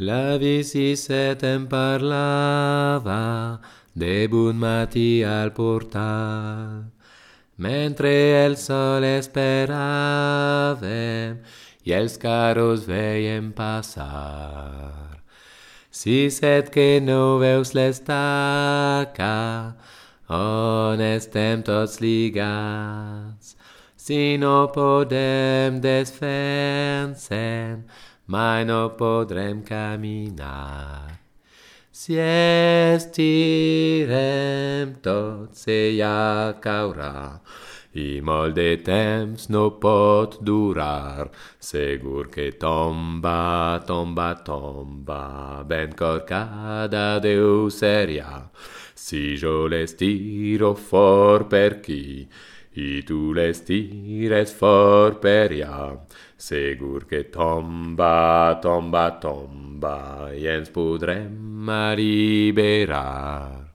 La vie si setem parlava de bon matí al portal, mentre el sol esperàvem i els carros veiem passar. Si set que no veus l'estaca on estem tots lligats, si no podem desfer-se'n, mai no podrem caminar. Si estirem tots, ella caurà, i molt de temps no pot durar. Segur que tomba, tomba, tomba, ben corcada Déu seria. Si jo l'estiro fort per qui, i tu l'estires fort per ella, segur que tomba, tomba, tomba, i ens podrem alliberar.